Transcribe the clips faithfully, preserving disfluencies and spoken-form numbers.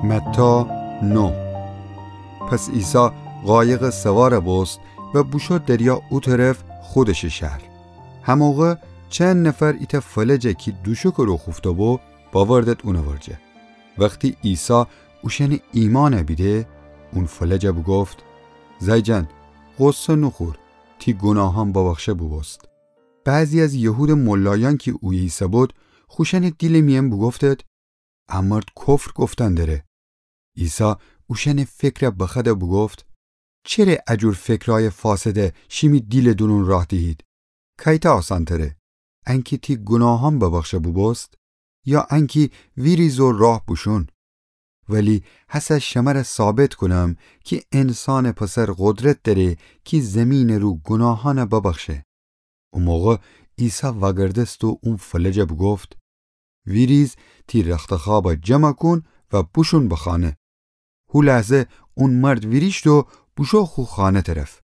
متی نه. پس عیسی قایقٚ سوار بوست و بوشو دریا او طرف خودشٚ شهر. هموقع چند نفر ایتأ فلج کی دوشکٚ رو خوفته‌بو، باوردد اونٚ ورجه. وختی عیسی اوشأنٚ ایمأن بیده، اون فلج بوگفت: زأی جان، غصه نوخور، تی گوناهأن ببخشه بوبوست. بعضی از یهودٚ ملایأن کی اویه ایسه‌بود، خوشأنٚ دیلٚ میأن بوگفتد: ا مرد کفر گفتن دره. عیسی اوشأنٚ فکر بخوأد و بوگفت: چره ا جور فکرأیٚ فاسد شیمی دیلٚ دورون راه دیهید؟ کأیتأ آسانتره، انکی تی گوناهأن ببخشه بوبوست، یا انکی ویریز و راه بوشون؟ ولی هسه شمر ثابت کونم کی انسانٚ پسر قدرت دأره کی زیمینٚ رو گوناهأن ببخشه. او موقع عیسی وأگردست و اون فلج بوگفت: ویریز، تی رختخوأب جمع کون و بوشون به خانه. هو لحظه اون مرد ویریشت و بوشو خو خانه طرف.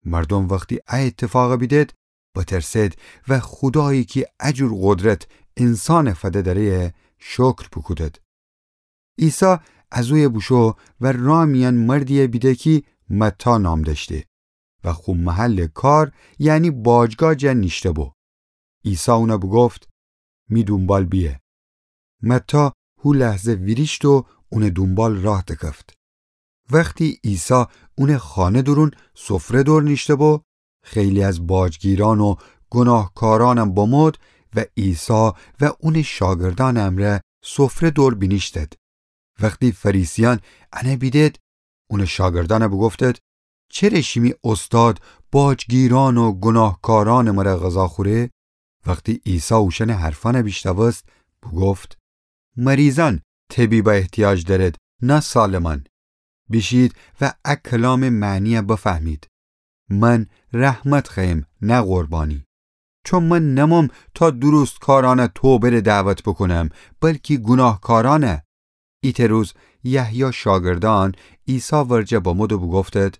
مردوم وختی ا ایتفاق بیدد، بترسد و خودایی کی ا جور قدرت انسان فده دأره شکر بوکودد. عیسی از اویه بوشو و راه میأن مردی بیده کی متی نام دأشته و خو محلٚ کار، یعنی باجگاه جا نیشته‌بو. عیسی اون بوگفت: می دونبال بیه. متی هو لحظه ویریشت و اونٚ دونبال راه دکفت. وختی عیسی اونٚ خانه دورون سفره دور نیشته‌بو، خیلی از باجگیرأن و گوناهکارأن بمود و عیسی و اونٚ شاگردأنٚ امرأ سفره دور بینیشتد. وختی فریسیأن ان بیدد، اونٚ شاگردأن بوگفتد: چره شیمی اوستاد باجگیرأن و گوناهکارأنٚ مره غذا خوره؟ وختی عیسی اوشأنٚ حرفأن بیشنوست، بوگفت: مریضأن طبیب احتیاج دأرد، نه سالمأن. بیشید و ا کلامٚ معنی بفهمید: من رحمت خوأیم، نه قربانی. چون من نموم تا درستکارأن توبه‌ره دعوت بوکونم، بلکی گوناهکارأن. ایتأ روز یحیی شاگردأن عیسی ورجه بمود و بوگفتد: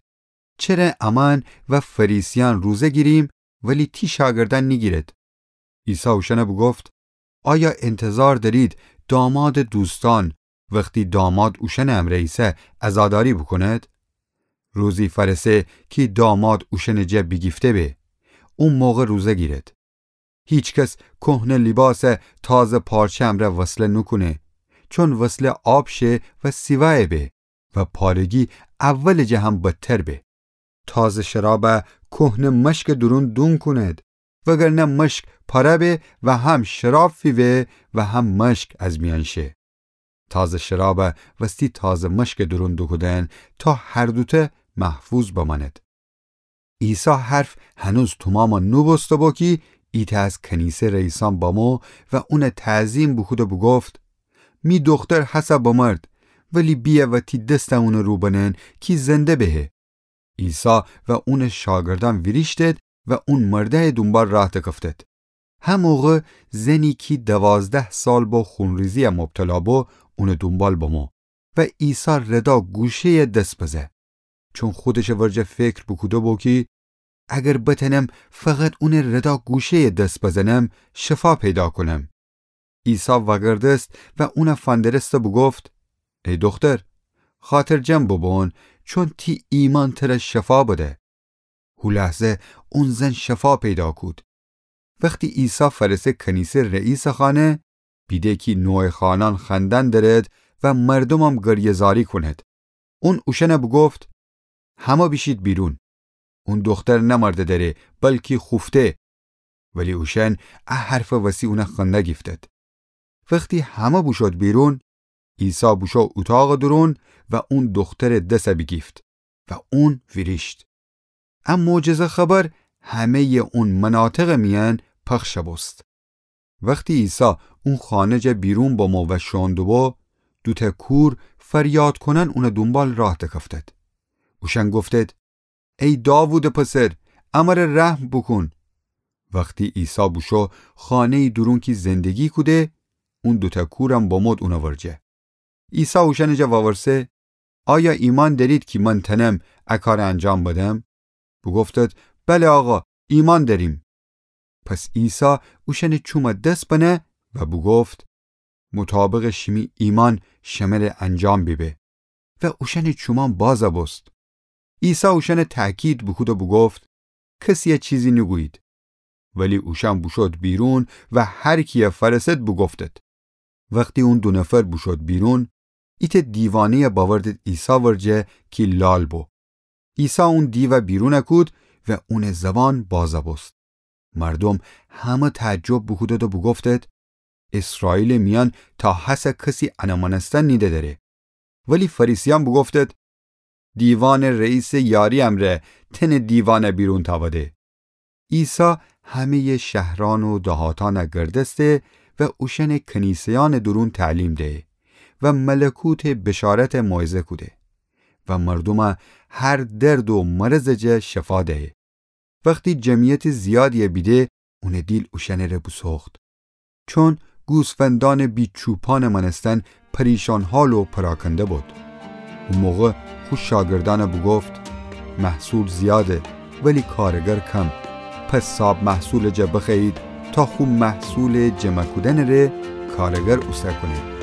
چره امأن و فریسیأن روزه گیریم، ولی تی شاگردأن نیگیرد؟ عیسی اوشأن بوگفت: آیا انتظار دأرید دامادٚ دوستأن وختی داماد اوشأنٚ امرأ ایسه عزاداری بوکوند؟ روزی فأرسه کی داماد اوشأنٚ جا بیگیفته به، او موقع روزه گیرد. هیکس کهنه لیباس تازه پارچه امرأ وصله نوکونه، چون وصله آب شه و سیوأیه به و پارگی اولٚ جه هم بدتر به. تازه شراب کهنه مشکٚ دورون دون کونید، وگرنه مشک پاره به و هم شراب فیوه و هم مشک از میأن شه. تازه شراب وستی تازه مشکٚ دورون دوکودن تا هر دوته محفوظ بمأند. عیسی حرف هنوز تومام نوبوسته‌بو کی ایتأ از کنیسه رئیسأن بمو و اون تعظیم بوکود و بوگفت: می دوختر هسه بمرد، ولی بیه و تی دس اونٚ رو بنن کی زنده بهه. عیسی و اونٚ شاگردأن ویریشتد و اون مردأیٚ دونبال راه دکفتد. هموقع زنی کی دوازده سال با خونریزی مبتلا بو، اونٚ دونبال بمو و عیسی ردا گوشه‌یٚ دس بزه. چون خودشٚ ورجه فکر بوکوده‌بو کی اگر بتأنم فقط اونٚ ردا گوشه‌یٚ دس بزنم، شفا پیدا کونم. عیسی وأگردست و اون فندرست و بوگفت: ای دوختر، خاطرجم بوبون، چون تی ایمأن تر شفا بده. هو لحظه اون زن شفا پیدا کود. وختی عیسی فأرسه کنیسه رئیسٚ خانه، بیده کی نوحه‌خوأنأن خوأندن درد و مردومم گریه‌زاری کونید. اون اوشأن بوگفت: همه بیشید بیرون. اون دوختر نمرده دره، بلکی خوفته. ولی اوشأن ا حرفٚ وسی اون خنده گیفتد. وختی همه بوشود بیرون، عیسی بوشو اوطاقٚ دورون و اون دوخترٚ دس بیگیفت و اون ویریشت. ا معجزه خبر همه‌یٚ اون مناطقٚ میأن پخش بوست. وختی عیسی اون خانه جا بیرون بمو و شوئون دوبو، دوتأ کور فریاد کونأن اونٚ دونبال راه دکفتد. اوشأن گفتد: ای داوودٚ پسر، امر رحم بوکون. وختی عیسی بوشو خانه‌یٚ دورون کی زندگی کوده، اون دوتأ کورم بمود اونٚ ورجه. عیسی اوشأنٚ جا وورسه: آیا ایمأن دأرید کی من تأنم ا کار انجام بدم؟ بوگفتد: بله آقا، ایمأن دأریم. پس عیسی اوشأنٚ چوم دس بنه و بوگفت: مطابقٚ شیمی ایمأن شمره انجام بیبه. و اوشأنٚ چومأن بازَ بوست. عیسی اوشأنَ تأکید بوکود و بوگفت: کسیَ چیزی نوگویید. ولی اوشأن بوشود بیرون و هر کیَ فأرسد بوگفتد. وختی اون دو نفر بوشود بیرون، ایتأ دیوانه‌یَ بأوردد عیسی ورجه کی لال بو. عیسی اون دیوَ بیرونَ کود و اونٚ زبان بازَ بوست. مردوم همه تعجب بوکودد و بوگفتد: ایسرائیلٚ میأن تا هسه کسی انَ مأنستن نیده دأره. ولی فریسیأن بوگفتد: دیوانٚ رئیسٚ یاری امرأ تأنه دیوانَ بیرون تأوده. عیسی همه‌یٚ شهرأن و دهاتأنَ گردسته و اوشأنٚ کنیسه‌یأنٚ دورون تعلیم دهه و ملکوتٚ بشارتَ موعظه کوده و مردومَ هر درد و مرضٚ جا شفا دهه. وختی جمعیتٚ زیادیَ بیده، اونٚ دیل اوشأنٚره بوسوخت. چون گوسفندأنٚ بی‌چوپانٚ مأنستن پریشان‌حال و پراکنده بود. او موقع خو شاگردأنَ بوگفت: محصول زیاده، ولی کارگر کم. پس صاب محصولٚ جا بخوأیید تا خو محصولٚ جمع کودنٚ ره کارگر اوسه کونید.